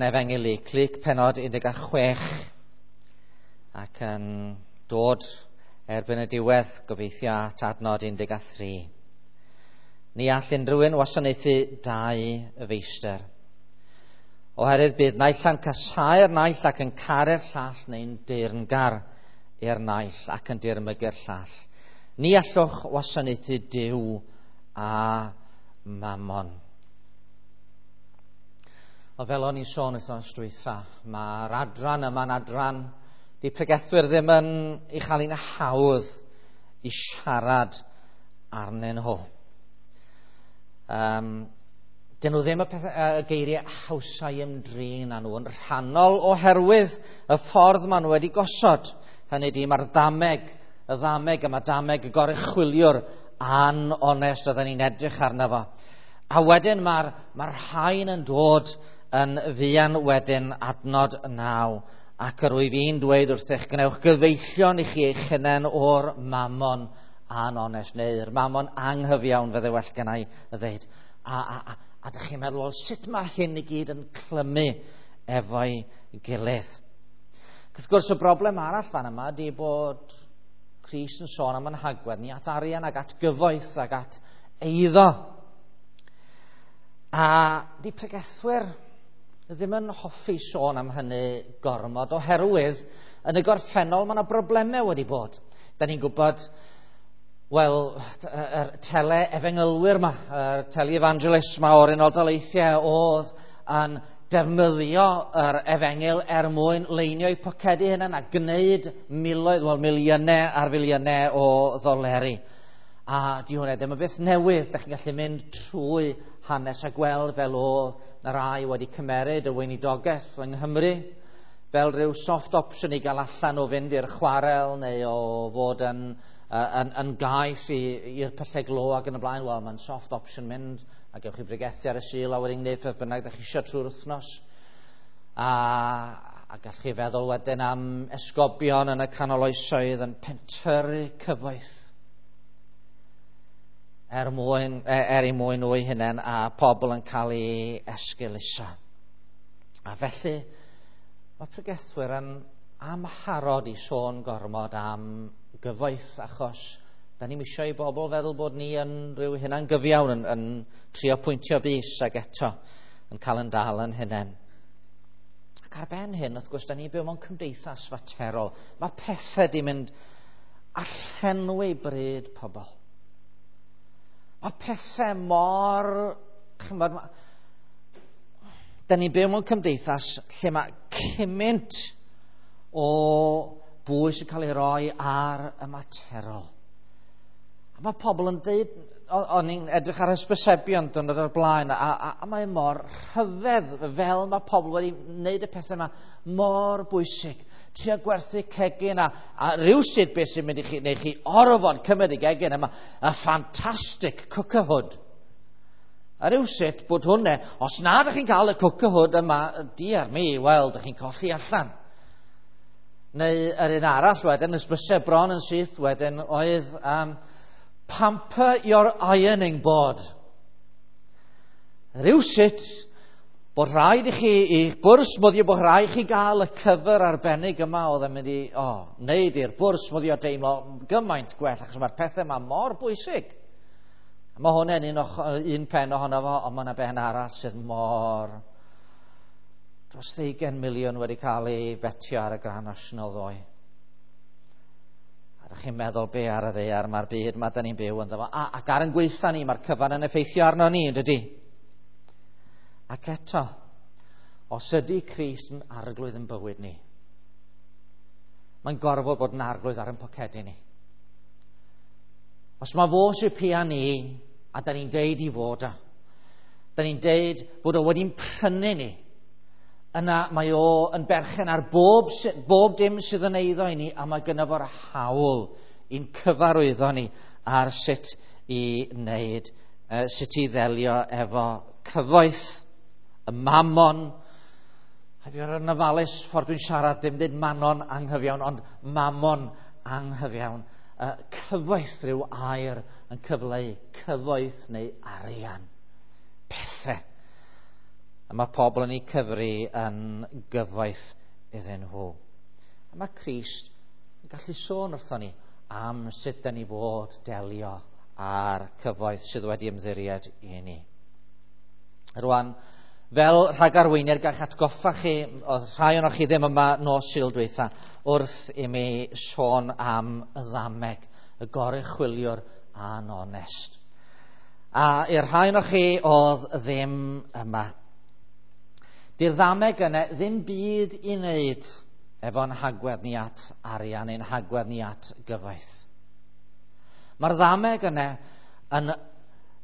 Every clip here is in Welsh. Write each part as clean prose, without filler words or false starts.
Efengyl Luc, Luc penod 16, ac yn dod erbyn y diwedd, gobeithio at adnod 13. Ni all unrhyw un wasanaethu dau feistr. Oherwydd bydd naill yn casáu'r naill ac yn caru'r llall neu'n deyrngar i'r naill ac yn dirmygu'r llall. Ni allwch wasanaethu Duw a Mammon. Wel, fel o'n i'n sôn wythnos dwytha, mae'r adran yma'n adran di pregethwyr ddim yn ei chael hi'n hawdd i siarad arnyn nhw. Dyn nhw ddim y, pethau, y geiriau hawsau ymdrin â nhw yn rhannol oherwydd y ffordd maen nhw wedi gosod. Hynny di, mae'r ddameg, y ddameg yma, dameg y goruchwyliwr anonest oedden ni'n edrych arno fo. A wedyn mae'r mae rhain yn dod yn fuan wedyn adnod 9, ac yr wyf i'n dweud wrthych, gwnewch gyfeillion i chi eich hunain o'r mamon anonest, neu'r mamon anghyfiawn fydde well gennau i ddeud. A dych chi'n meddwl, wel, sut mae hyn i gyd yn clymu efo'i gilydd? Wrth gwrs, y broblem arall fan yma ydy bod Crist yn sôn am yn hagwedd ni at arian ac at gyfoeth ac at eiddo. A di pregethwyr ddim yn hoffi sôn am hynny gormod oherwydd yn y gorffennol mae yna broblemau wedi bod. Da ni'n gwybod, wel, yr tele-efengylwyr yma, yr tele-evangelists yma o'r Unol Daleithiau oedd yn defnyddio yr efengyl er mwyn leinio eu pocedi hunain a gwneud miloedd, wel, miliynau ar filiynau o ddoleri. A di hwnna ddim yn beth newydd, da chi'n gallu mynd trwy hanes a gweld fel oedd na rai wedi cymeryd y weinidogaeth yng Nghymru fel rhyw soft option i gael allan o fynd i'r chwarel neu o fod yn gais i'r pyllau glo ac yn y blaen. Wel, mae'n soft option mynd a gewch chi bregethu ar y Sul a wedyn gwneud peth bynnag da chi eisiau trwy'r wythnos. A gallwch chi feddwl wedyn am esgobion yn y canol oesoedd yn pentyrru cyfoeth er i mwyn nhw eu hunain a pobl yn cael ei esgeuluso. A felly, mae pregethwyr yn amharod i sôn gormod am gyfoeth, achos da ni'm eisiau i bobl feddwl bod ni yn rhyw hunan gyfiawn yn trio pwyntio bys ac eto yn cael yn dal yn hunain. Ac ar ben hyn, wrth gwrs, da ni'n byw mewn cymdeithas faterol. Mae pethau di mynd a llenwi bryd pobl. Mae pethau mor... Chymod, da ni'n byw mewn cymdeithas lle mae cymaint o bwys yn cael ei roi ar y materol. A mae pobl yn deud, o'n i'n edrych ar hysbysebion dwrnod o'r blaen, a mae mor rhyfedd fel mae pobl wedi wneud y pethau yma mor bwysig. Trio gwerthu cegin a rhywsut beth sy'n mynd i chi, neu chi orfod cymryd y gegin yma, y ffantastig cooker hood. A rhywsut bod hwnna, os na ydych chi'n cael y cooker hood yma, diar mi, wel, ydych chi'n colli allan. Neu yr un arall wedyn, hysbyseb bron yn syth wedyn, oedd pamper your ironing board. Rhywsut bod rhaid i chi, i'ch bwrs smwddio, bod rhaid i chi gael y cyfer arbennig yma oedd yn mynd i, wneud i'r bwrs smwddio deimlo gymaint gwell, achos mae'r pethau yma mor bwysig. A mae hwnna'n un pen ohono fo, ond mae yna ben arall sydd mor... Dros 20 miliwn wedi cael ei betio ar y Grand National ddoe. A ydych chi'n meddwl be ar y ddaear mae'r byd ma da ni'n byw ynddo fo. Ac ar yn gweitha ni, mae'r cyfan yn effeithio arno ni, yn dydi? Ac eto, os ydy Crist yn arglwydd yn bywyd ni, mae'n gorfod bod yn arglwydd ar ein pocedi ni. Os mae fo sy'n pia ni, a da ni'n deud i fod o, da ni'n deud bod o wedi'n prynu ni, yna mae o yn berchen ar bob dim sydd yn eiddo i ni, a mae gynno fo'r hawl i'n cyfarwyddo ni ar sut i wneud, sut i ddelio efo cyfoeth, y mamon. A fi o'r ofalus ffordd dwi'n siarad, ddim dweud manon anghyfiawn, ond mamon anghyfiawn. Cyfoeth rhyw air yn cyfleu cyfoeth neu arian. Pethau. A mae pobl yn eu cyfri yn gyfoeth iddyn nhw. A mae Crist yn gallu sôn wrthon ni am sut da ni fod delio â'r cyfoeth sydd wedi ymddiried i ni. Rwan, fel rhagarweiniad gallwch atgoffa chi, oedd rhai ohonoch chi ddim yma nos Sul dwytha, wrth i mi sôn am y ddameg, y goruchwyliwr anonest. A i'r rhai ohonoch chi oedd ddim yma, di'r ddameg yna ddim byd i wneud efo'n hagwedd ni at arian, ein hagwedd ni at gyfoeth. Mae'r ddameg yna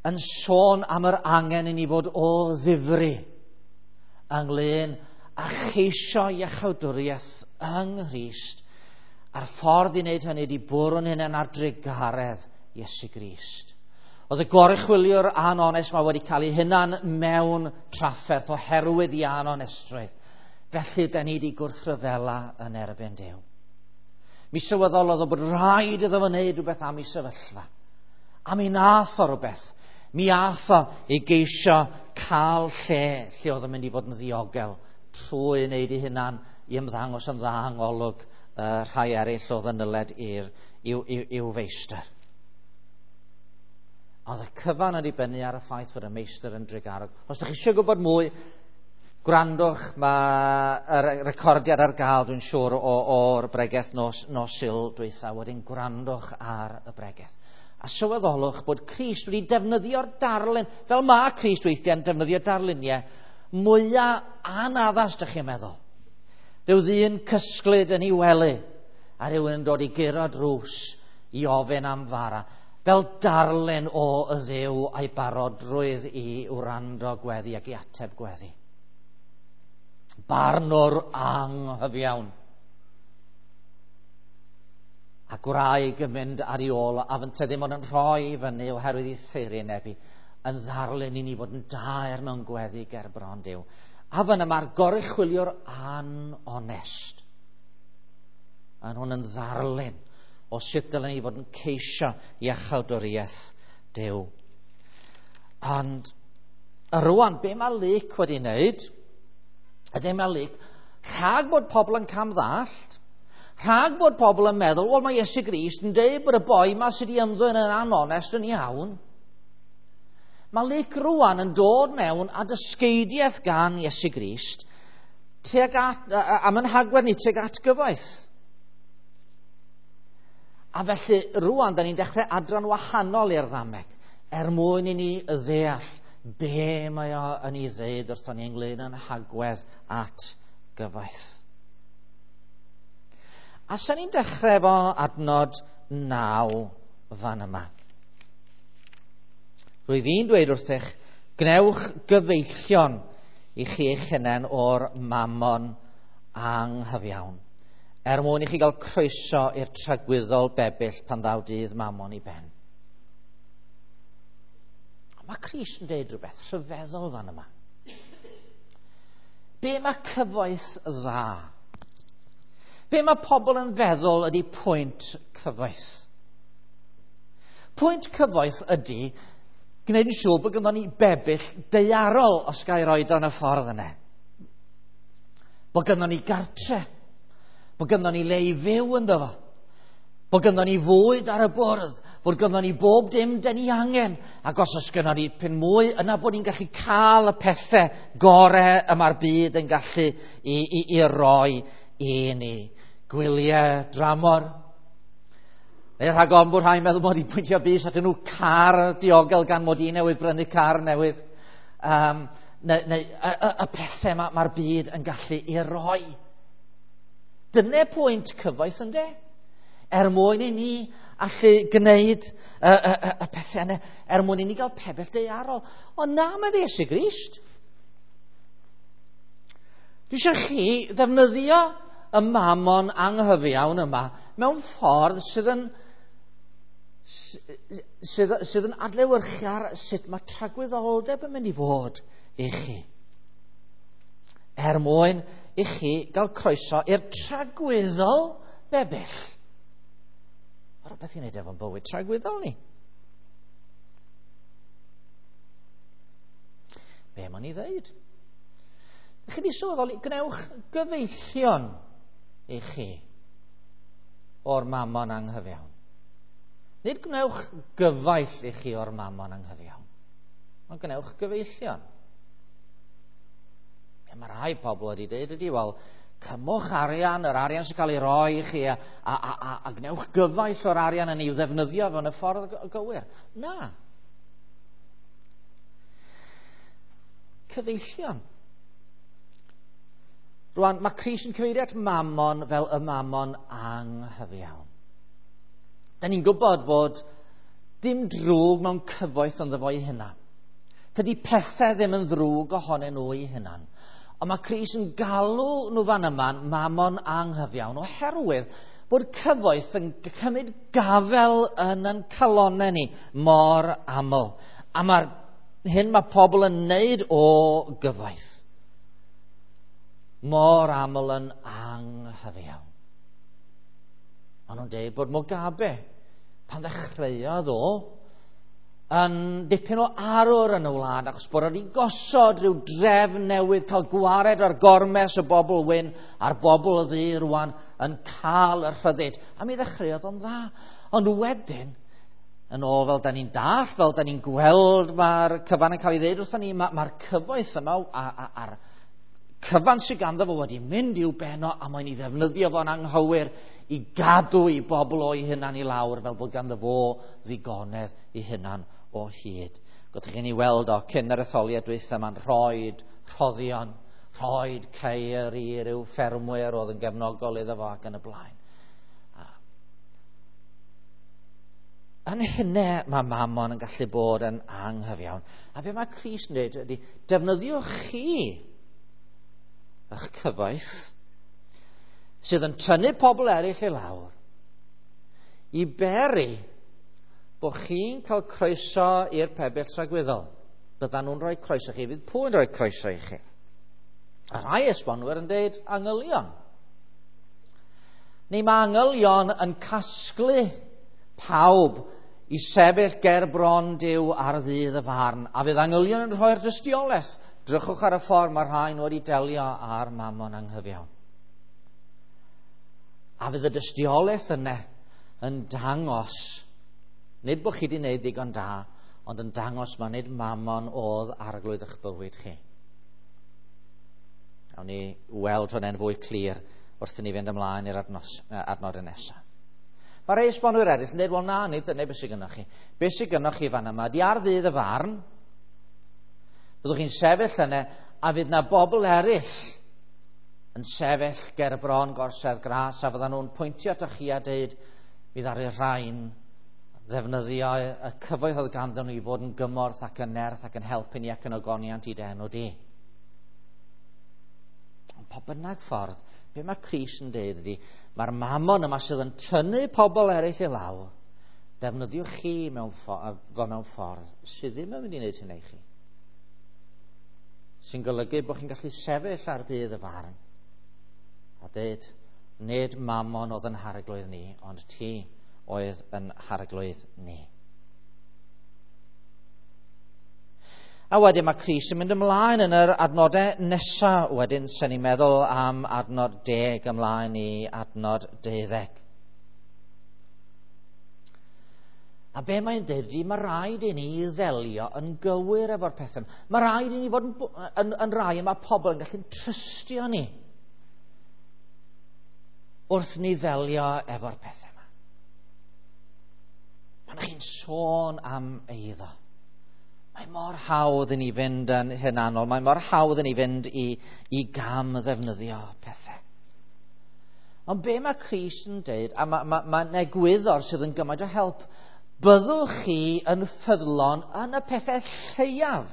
yn sôn am yr angen i ni fod o ddifri ynglyn â cheisio iachawdwriaeth yng Nghrist, a'r ffordd i wneud hynny ydi bwrw'n hunain ar drugaredd Iesu Grist. Oedd y goruchwyliwr anonest mae wedi cael ei hunan mewn trafferth oherwydd ei anonestrwydd. Felly, da ni wedi gwrthryfela yn erbyn Duw. Mi sylweddolodd o bod rhaid iddo fo wneud rhywbeth am ei sefyllfa. A mi nath o rhywbeth. Mi ath o i geisio cael lle lle oedd yn mynd i fod yn ddiogel trwy wneud ei hunan i ymddangos yn dda yng ngolwg rhai eraill oedd yn nyled i'w feistr. Oedd y cyfan yn dibynnu ar y ffaith fod y meistr yn drugarog. Os ydych chi eisiau gwybod mwy, gwrandwch, mae y recordiad ar gael, dwi'n siŵr, o'r bregeth nos Sul dwytha. Wedyn gwrandwch ar y bregeth. A sylweddolwch bod Crist wedi defnyddio'r darlun, fel mae Crist weithiau'n defnyddio darluniau mwyaf anaddas, dych chi'n meddwl. Rhyw ddyn cysglyd yn ei wely, a rhywun yn dod i guro drws i ofyn am fara, fel darlun o y Dduw a'i barodrwydd i wrando gweddi ac i ateb gweddi. Barnwr anghyfiawn. A gwraig yn mynd ar ei ôl, a fynte ddim ond yn rhoi i fyny oherwydd ei theyrneb hi, yn ddarlun i ni fod yn daer mewn gweddi ger bron Duw. A fan yma'r goruchwyliwr anonest. A hwn yn ddarlun o sut dylen ni fod yn ceisio iachawdwriaeth Duw. Ond rwan, be mae Luc wedi wneud, ydy mae Luc, rhag bod pobl yn camddallt, rhag bod pobl yn meddwl, wel mae Iesu Grist yn dweud bod y boi ma sydd wedi ymddwyn yn anonest yn iawn. Mae Luc rwan yn dod mewn a dysgeidiaeth gan Iesu Grist tuag at, am yn hagwedd ni tuag at gyfoeth. A felly rwan, da ni'n dechrau adran wahanol i'r ddameg, er mwyn i ni ddeall be mae o yn ei ddeud wrthon ni ynglyn â'n hagwedd at gyfoeth. A sa'n ni'n dechrau efo adnod 9 fan yma. Rwyf fi'n dweud wrthych, gwnewch gyfeillion i chi eich hunain o'r mamon anghyfiawn, er mwyn i chi gael croeso i'r tragwyddol bebyll pan ddaw dydd mamon i ben. Mae Crist yn dweud rhywbeth rhyfeddol fan yma. Be mae cyfoeth dda? Be mae pobl yn feddwl ydy pwynt cyfoeth? Pwynt cyfoeth ydy gwneud yn siŵr bod gynnon ni bebyll daearol, os ga i roed o'n y ffordd yna. Bod gynnon ni gartre, bod gynnon ni le i fyw ynddo fo, bod gynnon ni fwyd ar y bwrdd, bod gynnon ni bob dim dyn ni angen, ac os oes gynnon ni pyn mwy, yna bod ni'n gallu cael y pethau gore y mae'r byd yn gallu i roi i ni. Gwyliau dramor. Neu rhag ofn bod rhai'n meddwl mod i'n pwyntio bys atyn nhw car diogel gan mod i newydd brynu car newydd. Neu y pethau mae'r byd yn gallu i roi. Dyna pwynt cyfoeth ynde? Er mwyn i ni allu gwneud y pethau yna, er mwyn i ni gael pebell daearol. Ond na, mae Iesu Grist. Dwi eisiau chi ddefnyddio y mamon anghyfiawn yma mewn ffordd sydd yn adlewyrchu ar sut mae tragwyddoldeb yn mynd i fod i chi. Er mwyn i chi gael croeso i'r tragwyddol bebyll. Mae rhywbeth i wneud efo'n bywyd tragwyddol ni. Be mae'n ei ddeud? Chi wedi sylweddoli, gwnewch gyfeillion i chi o'r mamon anghyfiawn. Nid gwnewch gyfaill i chi o'r mamon anghyfiawn, ond gwnewch gyfeillion. Be mae rhai pobl wedi dweud ydy, wel, cymwch arian, yr arian sy'n cael ei roi i chi, a gwnewch gyfaill o'r arian yn ei ddefnyddio fewn y ffordd gywir. Na. Cyfeillion. Rwan, mae Crist yn cyfeirio at mamon fel y mamon anghyfiawn. Da ni'n gwybod fod dim drwg mewn cyfoeth ynddo fo'i hunan. Tydi pethau ddim yn ddrwg ohonyn nhw eu hunan. Ond mae Crist yn galw nhw fan yma mamon anghyfiawn oherwydd bod cyfoeth yn cymryd gafel yn ein calonnau ni mor aml. A mae'r hyn mae pobl yn neud o gyfoeth mor aml yn anghyfiawn. Maen nhw'n dweud bod Mugabe, pan ddechreuodd o, yn dipyn o arwr yn y wlad, achos bod wedi gosod rhyw drefn newydd, cael gwared ar gormes y bobl wyn a'r bobl ddu rwan yn cael y rhyddid. A mi ddechreuodd o'n dda. Ond wedyn, yn ôl fel da ni'n dall, fel da ni'n gweld mae'r cyfan yn cael ei ddeud wrthon ni, mae'r cyfoeth yma a'r cyfan sydd ganddo fo wedi mynd i'w beno a mae'n ei ddefnyddio fo'n anghywir i gadw i bobl o'i hunan i lawr fel bod ganddo fo ddigonedd i hunan o hyd. Gwyddoch chi'n ei weld o cyn yr etholiad dwytha ma'n rhoid rhoddion, rhoid ceir i ryw ffermwyr oedd yn gefnogol iddo fo ac yn y blaen. Yn hynny mae mamon yn gallu bod yn anghyfiawn. A be mae Crist yn dweud ydy, defnyddiwch chi eich cyfoeth sydd yn tynnu pobl eraill i lawr i beri bod chi'n cael croeso i'r pebyll tragwyddol. Byddan nhw'n rhoi croeso chi, fydd pwy'n rhoi croeso i chi. A rhai esbonwyr yn dweud angylion. Neu mae angylion yn casglu pawb i sefyll ger bron Duw ar ddydd y farn, a fydd angylion yn rhoi'r dystiolaeth. Drychwch ar y ffordd mae rhain wedi delio â'r mamon anghyfiawn. A fydd y dystiolaeth yna yn dangos, nid bod chi wedi gwneud ddigon da, ond yn dangos mae nid mamon oedd arglwydd eich bywyd chi. Awn ni weld hwnna'n fwy clir wrth i ni fynd ymlaen i'r adnodau nesaf. Mae rhai esbonwyr eraill yn dweud, wel na, nid dyna beth sydd gynnoch chi. Beth sydd gynnoch chi fan yma, di ar ddydd y farn, byddwch chi'n sefyll yna, a fydd na bobl eraill yn sefyll ger bron gorsedd gras, a fyddan nhw'n pwyntio atoch chi a dweud, mi ddaru rhain ddefnyddio y cyfoeth oedd ganddyn nhw i fod yn gymorth ac yn nerth ac yn helpu ni ac yn ogoniant i d'enw di. Ond pa bynnag ffordd, be mae Crist yn dweud ydy, mae'r mamon yma sydd yn tynnu pobl eraill i lawr, defnyddiwch chi mewn ffordd sydd ddim yn mynd i wneud hynny i chi. Sy'n golygu bod chi'n gallu sefyll ar ddydd y farn a dweud, nid mamon oedd yn harglwydd ni, ond ti oedd yn harglwydd ni. A wedyn mae Crist yn mynd ymlaen yn yr adnodau nesaf wedyn, sy'n ni'n meddwl am adnod 10 ymlaen i adnod 12. A be mae'n dweud ydy, mae rhaid i ni ddelio yn gywir efo'r pethau. Mae rhaid i ni fod yn rai y mae pobl yn gallu trystio ni wrth ni ddelio efo'r pethau yma. Pan chi'n sôn am eiddo, mae mor hawdd i ni fynd yn hunanol, mae mor hawdd i ni fynd i gam ddefnyddio pethau. Ond be mae Crist yn dweud, a mae'n egwyddor sydd yn gymaint o help, byddwch chi yn ffyddlon yn y pethau lleiaf.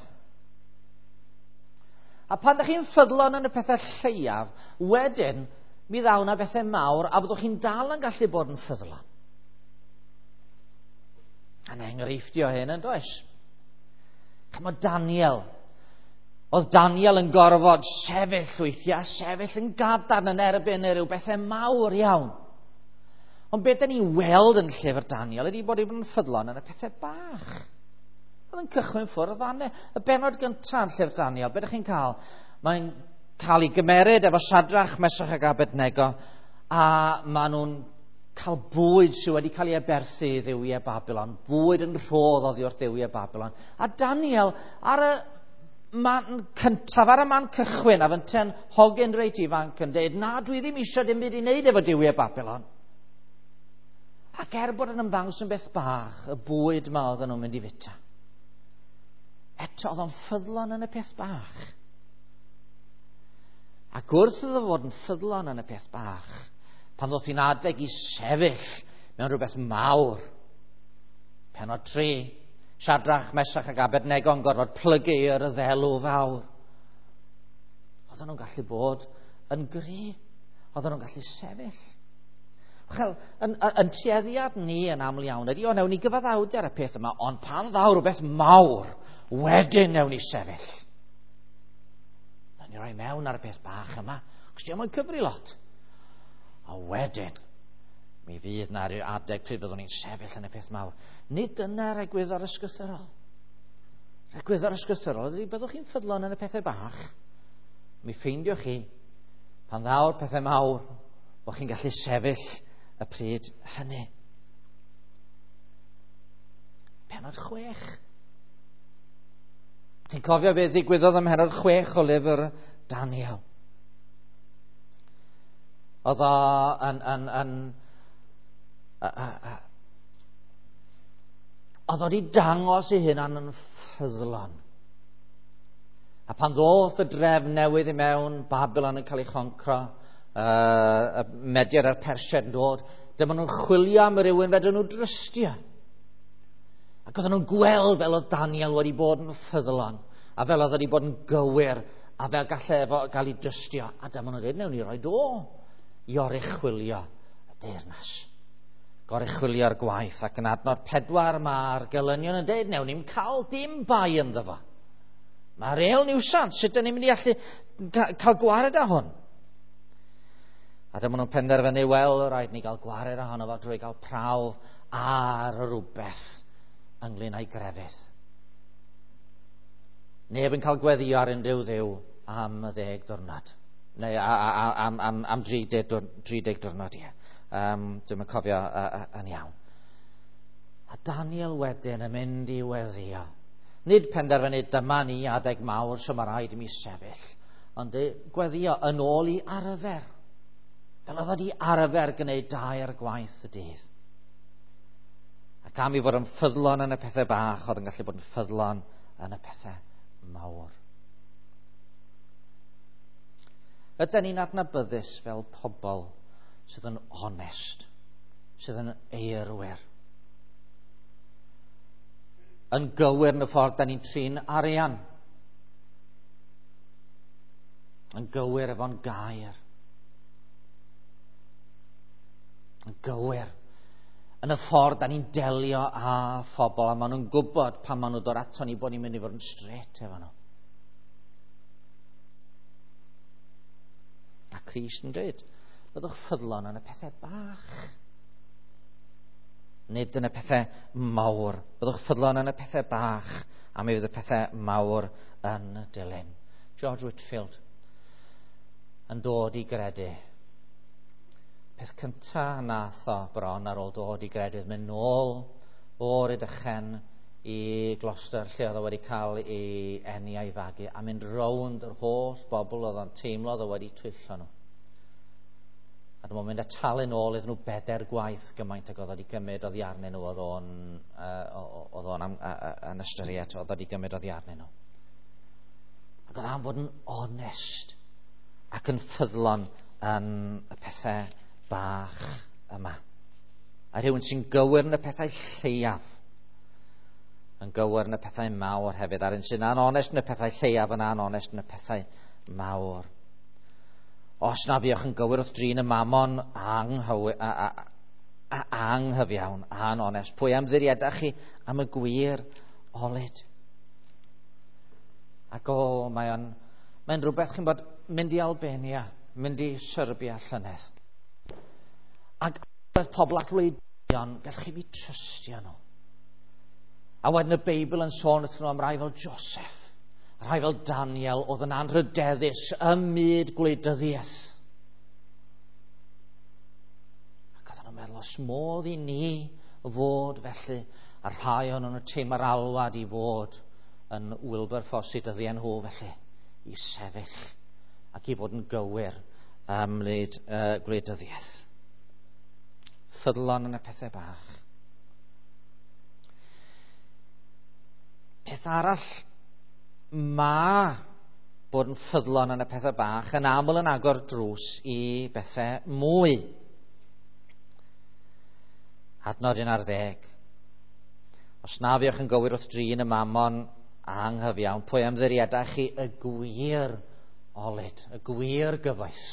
A pan ydych chi'n ffyddlon yn y pethau lleiaf, wedyn mi ddaw na bethau mawr a byddwch chi'n dal yn gallu bod yn ffyddlon. A'n enghreiffdio hyn yn does? Chymod Daniel. Oedd Daniel yn gorfod sefyll weithiau, sefyll yn gadarn yn erbyn rhyw bethau mawr iawn. Ond beth da ni'n weld yn llyfr Daniel ydy bod yn ffyddlon yn y pethau bach. Oedd yn cychwyn ffwrdd fanne. Y bennod gyntaf yn llyfr Daniel, beth ydych chi'n cael? Mae'n cael ei gymeryd efo Sadrach, Mesach ac Abednego, a maen nhw'n cael bwyd sydd wedi cael ei aberthu i dduwiau Babylon, bwyd yn rhodd oddi wrth dduwiau Babylon. A Daniel, ar y man cyntaf, ar y man cychwyn, a fynte'n hogyn reit ifanc yn dweud, na, dwi ddim eisiau dim byd i wneud efo duwiau Babylon. Ac er bod yn ymddangos yn beth bach, y bwyd ma oedden nhw'n mynd i fita. Eto, oedd o'n ffyddlon yn y peth bach. Ac wrth iddo fod yn ffyddlon yn y peth bach, pan ddoth hi'n adeg i sefyll mewn rhywbeth mawr, penod 3, Siadrach, Mesach ac Abednego yn gorfod plygu i'r ddelw fawr. Oedden nhw'n gallu bod yn gry, oedden nhw'n gallu sefyll. Chel, yn tueddiad ni yn aml iawn ydy, o, newn ni gyfaddawdu ar y peth yma, ond pan ddaw rhywbeth mawr, wedyn newn ni sefyll. Newn ni roi mewn ar y peth bach yma, achos dio'm yn cyfri lot. A wedyn, mi fydd na rhyw adeg pryd byddwn ni'n sefyll yn y peth mawr. Nid dyna'r egwyddor ysgrythurol. Yr egwyddor ysgrythurol ydy byddwch chi'n ffyddlon yn y pethau bach. Mi ffeindiwch chi, pan ddaw'r pethau mawr, bod chi'n gallu sefyll y pryd hynny. Penod 6. Chi'n cofio beth ddigwyddodd ym mhenod 6 o lyfr Daniel? Oedd o yn oedd o wedi dangos ei hunan yn ffyddlon. A pan ddoth y drefn newydd i mewn, Babylon yn cael ei choncro, y Mediad a'r Persiaid yn dod, dyma nhw'n chwilio am rywun fedrwn nhw drystio. Ac oedden nhw'n gweld fel oedd Daniel wedi bod yn ffyddlon, a fel oedd wedi bod yn gywir, a fel gallai efo gael ei drystio. A dyma nhw'n dweud, newn ni roi do i oruchwylio y deyrnas. Goruchwylio'r gwaith, ac yn adnod 4 mae'r gelynion yn dweud, newn ni'm cael dim bai ynddo fo. Mae'r real niwsans, sut ydyn ni'n mynd i allu cael gwared â hwn? A dyma nhw'n penderfynu, wel, rhaid ni gael gwared ohono fo drwy gael prawf ar rhywbeth ynglyn â'i grefydd. Neb yn cael gweddio ar unrhyw dduw am y 10 diwrnod. Neu am 30 diwrnod, ie. Dwi'm yn cofio yn iawn. A Daniel wedyn yn mynd i weddio. Nid penderfynu dyma ni adeg mawr, so mae rhaid i mi sefyll, ond gweddio yn ôl i arfer. Fel oedd wedi arfer gwneud 2 gwaith y dydd. Ac am i fod yn ffyddlon yn y pethau bach, oedd yn gallu bod yn ffyddlon yn y pethau mawr. Ydyn ni'n adnabyddus fel pobl sydd yn onest, sydd yn eirwyr, yn gywir yn y ffordd da ni'n trin arian, yn gywir efo'n gair, yn gywir yn y ffordd da ni'n delio â phobl, a maen nhw'n gwybod pan maen nhw'n dod ato ni bod ni'n mynd i fod yn straight efo nhw. A Crist yn dweud, byddwch ffyddlon yn y pethau bach, nid yn y pethau mawr. Byddwch ffyddlon yn y pethau bach, a mi fydd y pethau mawr yn dilyn. George Whitefield yn dod i gredu. Peth cyntaf nath o bron ar ôl dod i gredu, mynd nôl o'r Rhydychen i Gloucester, lle oedd o wedi cael ei eni a'i fagu, a mynd rownd yr holl bobl oedd o'n teimlo oedd o wedi twyllo nhw. A dyma mynd a talu nôl iddyn nhw 4 gwaith gymaint ag oedd wedi gymryd oddi arnyn nhw, oedd o'n yn ystyried oedd wedi gymryd oddi arnyn nhw. Ac oedd am fod yn onest ac yn ffyddlon yn y pethau bach yma. A rhywun sy'n gywir yn y pethau lleiaf, yn gywir yn y pethau mawr hefyd. A'r un sy'n anonest yn y pethau lleiaf yn anonest yn y pethau mawr. Os na fuoch yn gywir wrth drin y mamon anghyfiawn, anonest, pwy am ddiriedach chi am y gwir olud? Ac o, mae'n rhywbeth chi'n bod mynd i Albania, mynd i Serbia llynedd. Ac oedd pobl ac wleidyddon, gallwch chi fi trystio nhw. A wedyn y Beibl yn sôn wrthyn nhw am rai fel Joseph, Rhai fel Daniel oedd yn anrhydeddus ym myd gwleidyddiaeth. Ac oedden nhw'n meddwl, os modd i ni fod felly, a rhai o'n nhw'n teimlo'r alwad i fod yn Wilberforce i dyddiau nhw felly, i sefyll ac i fod yn gywir ym myd gwleidyddiaeth. Ffyddlon yn y pethau bach. Peth arall, mae bod yn ffyddlon yn y pethau bach yn aml yn agor drws i bethau mwy. Adnod 11. Os na fuoch yn gywir wrth drin y mamon anghyfiawn, pwy ymddiriedau chi y gwir olud, y gwir gyfoeth?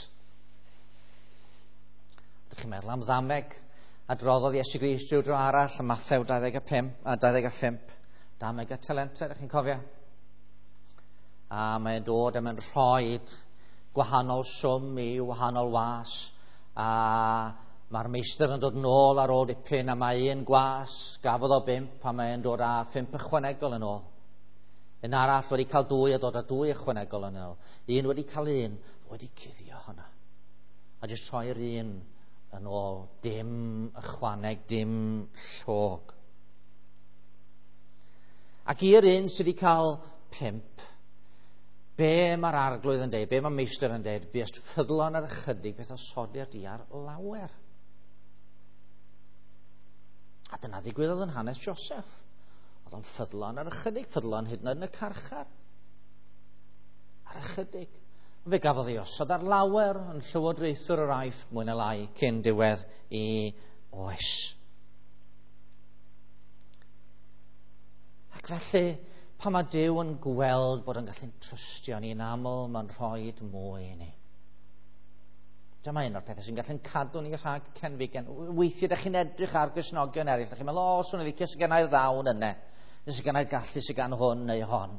Ydych chi'n meddwl am ddameg a droddodd Iesu Grist rhyw dro arall ym Mathew 25, 25. Dameg y talentau, ydych chi'n cofio? A mae'n dod a mae'n rhoi gwahanol swm i wahanol was. A mae'r meistr yn dod nôl ar ôl dipyn, a mae un gwas gafodd o 5 a mae'n dod â 5 ychwanegol yn ôl. Un arall wedi cael 2 a dod â 2 ychwanegol yn ôl. Un wedi cael 1, wedi cuddio hwnna. A jyst rhoi'r un yn ôl, dim ychwaneg, dim llog. Ac i'r un sydd wedi cael 5, be mae'r arglwydd yn deud, be mae'r meistr yn deud, buest ffyddlon ar ychydig, beth osodi'r di ar lawer. A dyna ddigwyddodd yn hanes Joseph. Oedd o'n ffyddlon ar ychydig, ffyddlon hyd yn oed yn y carchar. Ar ychydig. Fe gafodd ei osod ar lawer yn llywodraethwr yr Aifft mwy na lai cyn diwedd i oes. Ac felly, pan mae Duw yn gweld bod yn gallu'n trystio ni'n aml, mae'n rhoi mwy i ni. Dyma un o'r pethau sy'n gallu'n cadw ni rhag cenfigen. Weithiau ydych chi'n edrych ar Gristnogion eraill, ydych chi'n meddwl, o, swn i'n licio sydd gennau'r ddawn yna, neu sydd gennau'r gallu sydd gan hwn neu hon.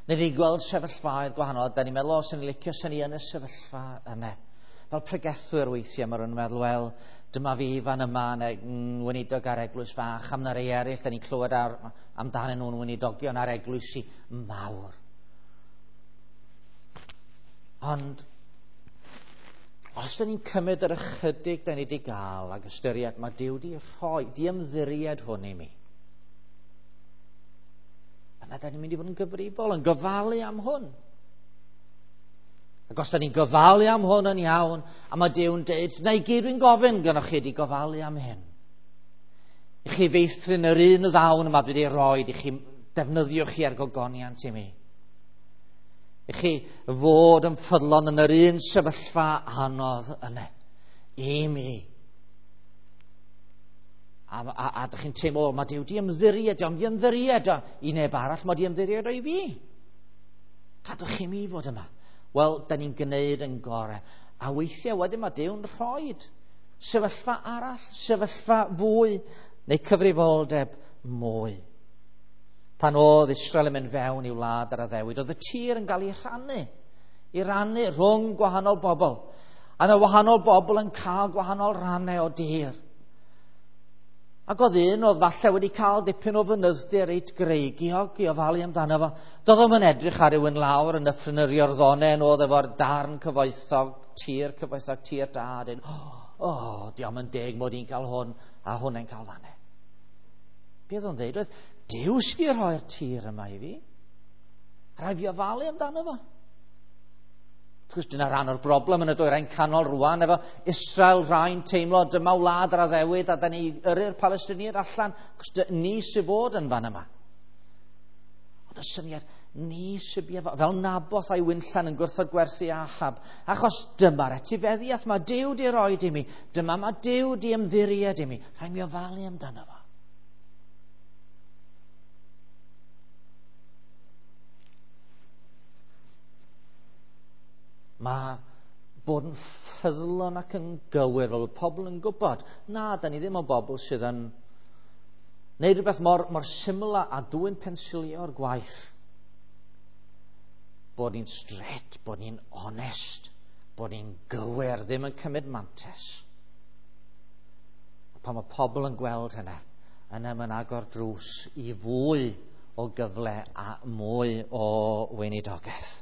Neu ni'n gweld sefyllfaoedd gwahanol, da ni'n meddwl, o, swn i'n licio sy'n ni yn y sefyllfa yna. Fel pregethwyr weithiau, mae rhywun yn meddwl, wel, dyma fi fan yma, neu weinidog ar eglwys fach, am na rei eraill, da ni'n clywed amdanyn nhw'n weinidogion ar eglwysi mawr. Ond, os da ni'n cymryd yr ychydig da ni wedi gael ac ystyried, mae Duw wedi rhoi, di ymddiried hwn i mi. Yna da ni'n mynd i fod yn gyfrifol, yn gofalu am hwn. Ac os da ni'n gofalu am hwn yn iawn, a mae Duw'n deud, na i gyd dwi'n gofyn gynnwch chi di gofalu am hyn. I chi feithrin yr un ddawn yma dwi wedi rhoi, i chi defnyddio chi ar gogoniant i mi. I chi fod yn ffyddlon yn yr un sefyllfa anodd yna, i mi. A dych chi'n teimlo, mae Duw di ymddiried, ond di ymddiried i neb arall, mae di ymddiried o i fi. Gadwch chi mi fod yma. Wel, da ni'n gwneud yn gorau. A weithiau wedyn mae Duw'n rhoi sefyllfa arall, sefyllfa fwy, neu cyfrifoldeb mwy. Pan oedd Israel yn mynd fewn i'w wlad ar addewid, oedd y tir yn cael ei rhannu, i rannu rhwng gwahanol bobl. A yna wahanol bobl yn cael gwahanol rannau o dir. Ac oedd un oedd falle wedi cael dipyn o fynydddir reit greigiog i ofalu amdano fo. Doedd o'm yn edrych ar rywun lawr yn nyffryn yr Iorddonen oedd efo'r darn cyfoethog, tir da. Dyn, o, diolch yn deg mod i'n cael hwn a hwnna'n cael fanne. Be oedd o'n dweud oedd, Duw sydd wedi rhoi'r tir yma i fi. Rhaid fi ofalu amdano fo. Wrth gwrs, dyna rhan o'r broblem yn y dwyrain canol rwan, efo Israel rhai'n teimlo dyma wlad yr addewid a da ni yrru'r Palestiniaid allan, achos ni sydd fod yn fan yma. Ond y syniad, ni sydd fel Naboth a'i winllan yn gwrthod gwerthu Ahab, achos dyma'r etifeddiaeth mae Duw di roed i mi, dyma mae Duw di ymddiried i mi, rhaid mi ofalu amdano fo. Mae bod yn ffyddlon ac yn gywir, fel pobl yn gwybod, na, da ni ddim o bobl sydd yn neud rhywbeth mor syml a dwy'n pensilio o'r gwaith. Bod ni'n straight, bod ni'n onest, bod ni'n gywir, ddim yn cymryd mantes. A pan mae pobl yn gweld hynna, yna mae'n agor drws i fwy o gyfle a mwy o weinidogaeth.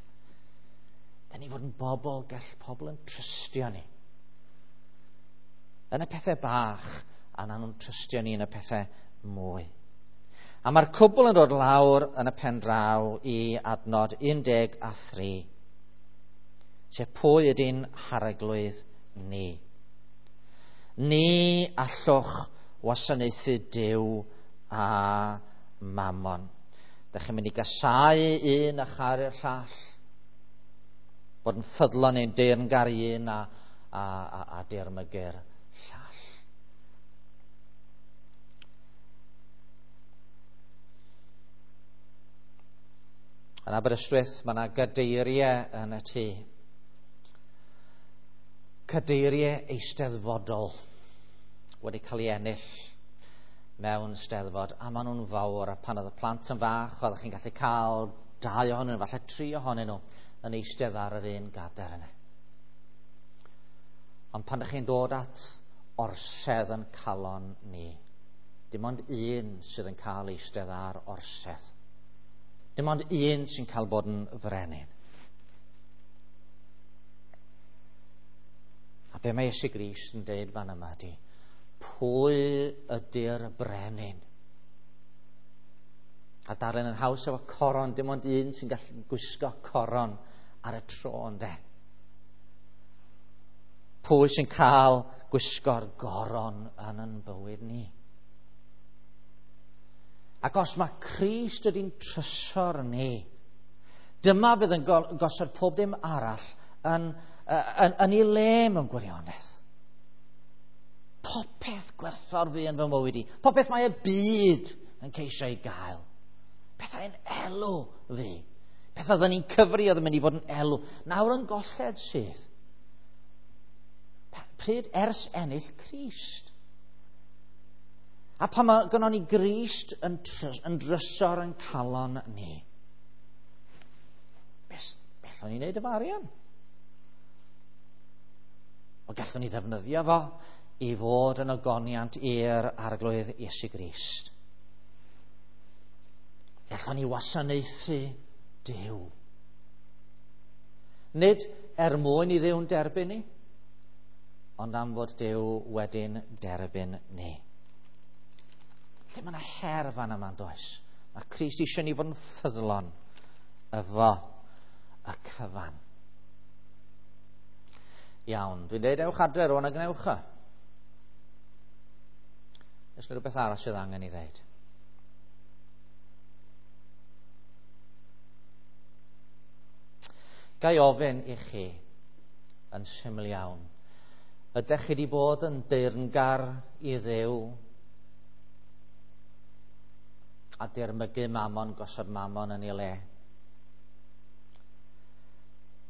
Da ni fod yn bobl, gall pobl yn trystio ni. Yn y pethau bach, a na nhw'n trystio ni yn y pethau mwy. A mae'r cwbl yn dod lawr yn y pen draw i adnod 13. Sef pwy ydy'n harglwydd ni. Ni allwch wasanaethu Duw a Mammon. Dych chi'n mynd i gasáu un a charu'r llall. Bod yn ffyddlon neu'n deyrngar i un a dirmygu'r llall. Yn Aberystwyth, mae yna gadeiriau yn y tŷ. Cadeiriau eisteddfodol wedi cael ei ennill mewn steddfod, a maen nhw'n fawr, a pan oedd y plant yn fach, oeddech chi'n gallu cael 2 ohonyn nhw, falle 3 ohonyn nhw, yn eistedd ar yr un gadair yna. Ond pan ydych chi'n dod at orsedd yn calon ni, dim ond un sydd yn cael eistedd ar orsedd. Dim ond un sy'n cael bod yn frenin. A be mae Iesu Grist yn deud fan yma ydy, pwy ydy'r brenin? A darllen yn haws efo coron, dim ond un sy'n gallu gwisgo coron ar y tro, ynde? Pwy sy'n cael gwisgo'r goron yn yn bywyd ni? Ac os mae Crist ydy'n trysor ni, dyma fydd yn gosod pob dim arall yn ei le mewn gwirionedd. Popeth gwerthfawr fi yn fy mywyd i. Popeth mae y byd yn ceisio ei gael. Pethau'n elw fi. Pethau oedden ni'n cyfri oedd yn mynd i fod yn elw. Nawr yn golled sydd. Pryd ers ennill Crist. A pan mae gynnon ni Grist yn drysor yn calon ni, beth o'n ni'n neud efo arian? O, gallwn ni ddefnyddio fo i fod yn ogoniant i'r Arglwydd Iesu Grist. Gallwn ni wasanaethu Duw. Nid er mwyn i Dduw'n derbyn ni, ond am fod Duw wedyn derbyn ni. Lle mae yna her fan yma, does? Mae Crist eisiau ni fod yn ffyddlon efo y cyfan. Iawn, dwi'n dweud ewch adre rŵan a gwnewch o. Oes 'na rhywbeth arall sydd angen i ddeud? Ga i ofyn i chi yn syml iawn, ydych chi wedi bod yn deyrngar i Dduw a dirmygu Mammon, gosod Mammon yn ei le?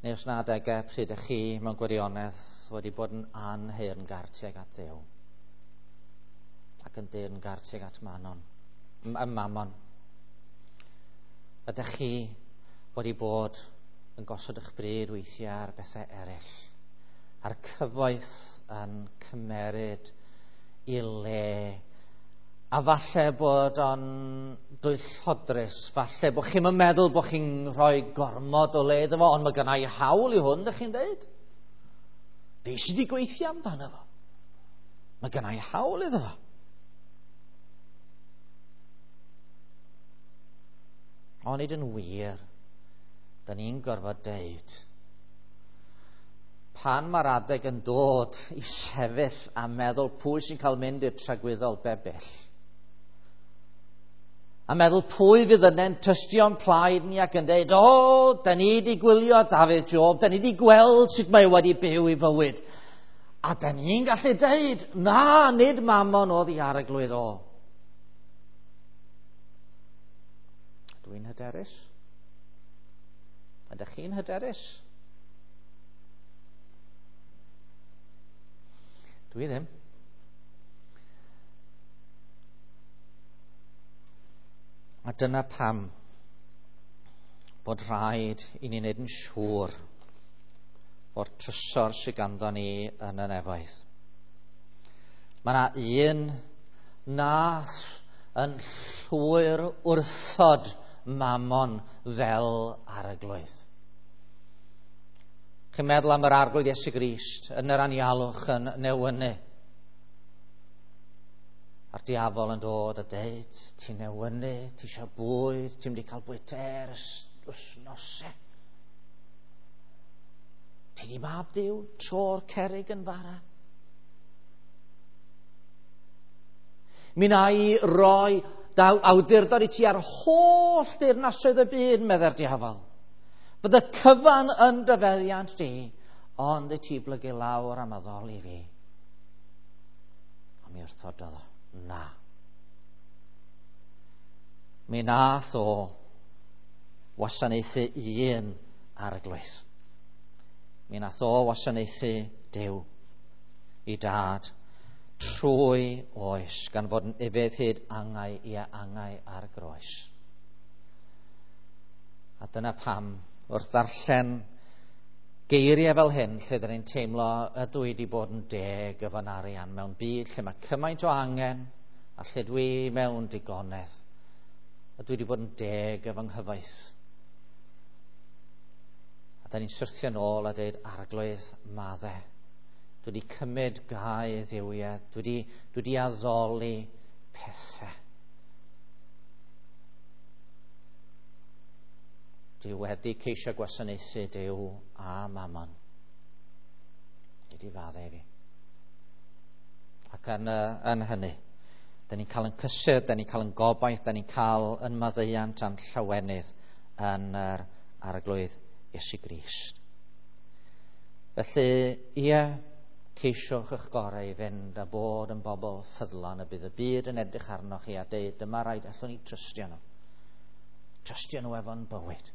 Neu os na adegau pryd ydych chi mewn gwirionedd wedi bod yn anheyrngar tuag at Dduw ac yn deyrngar tuag at Mammon? Ydych chi wedi bod yn gosod eich bryd weithiau ar bethau eraill, a'r cyfoeth yn cymeryd i le, a falle bod o'n dwyllodrus, falle bod chi'm yn meddwl bod chi'n rhoi gormod o le iddo fo, ond mae gynna i hawl i hwn, dych chi'n deud? Fi sydd wedi gweithio amdano fo. Mae gynna i hawl iddo fo. Onid yn wir, da ni'n gorfod deud, pan mae'r adeg yn dod i sefyll a meddwl pwy sy'n cael mynd i'r tragwyddol bebyll, a meddwl pwy fydd yna'n tystio'n plaid ni ac yn deud, o, da ni wedi gwylio Dafydd Job, da ni wedi gweld sut mae wedi byw i fywyd. A da ni'n gallu deud, na, nid Mammon oedd i arglwydd o. Dwi'n hyderus. Ydych chi'n hyderus? Dwi ddim. A dyna pam bod rhaid i ni wneud yn siŵr o'r trysor sydd ganddo ni yn y nefoedd. Mae yna un nath yn llwyr wrthod Mammon fel arglwydd. Chi'n meddwl am yr Arglwydd Iesu Grist yn yr anialwch yn newynu. A'r diafol yn dod a deud, ti'n newynu, ti eisiau bwyd, ti'n mynd i cael bwyd ers wythnosau. Ti di mab Duw, tro'r cerrig yn fara. Mi na i roi daw awdurdod i ti ar holl deyrnasoedd y byd, meddai'r diafol. Bydd y cyfan yn dy feddiant di, ond i ti blygu lawr am addoli fi. A mi wrthododd o, na. Mi nath o wasanaethu un arglwydd. Mi nath o wasanaethu Duw i dad trwy oes, gan fod yn ufudd hyd angau i angau ar groes. A dyna pam, wrth ddarllen geiriau fel hyn, lle dyn ni'n teimlo ydw i wedi bod yn deg efo'n arian mewn byd lle mae cymaint o angen a lle dwi mewn digonedd, ydw i wedi bod yn deg efo nghyfoeth. A da ni'n syrthio nôl a dweud, Arglwydd, madde. Dwi wedi cymryd gau dduwiau, dwi wedi addoli pethau. Dwi wedi ceisio gwasanaethu Duw a Mammon. Dwi wedi faddau fi. Ac yn hynny, da ni'n cael yn cysur, da ni'n cael yn gobaith, da ni'n cael yn maddeuant a'n llawenydd yn yr Arglwydd Iesu Grist. Felly, ie, ceisiwch eich gorau i fynd a bod yn bobl ffyddlon y bydd y byd yn edrych arnoch chi a deud, dyma rhaid allwn ni trystio nhw. Trystio nhw efo'n bywyd.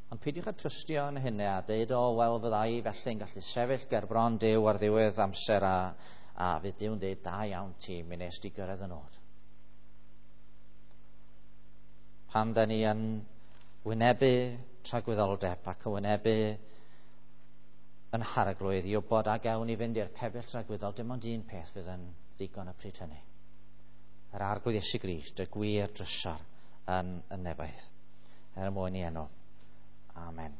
Ond peidiwch â trystio yn hynny a deud, o, wel, fydda i felly'n gallu sefyll ger bron Duw ar ddiwedd amser a fydd Duw'n deud, da iawn ti, mi nes di gyrraedd y nod. Pan da ni yn wynebu tragwyddoldeb ac yn wynebu yn harglwydd i wybod a gawn ni fynd i'r pebyll tragwyddol, dim ond un peth fydd yn ddigon y pryd hynny. Yr Arglwydd Iesu Grist, y gwir drysor yn y nefoedd. Er mwyn i enw. Amen.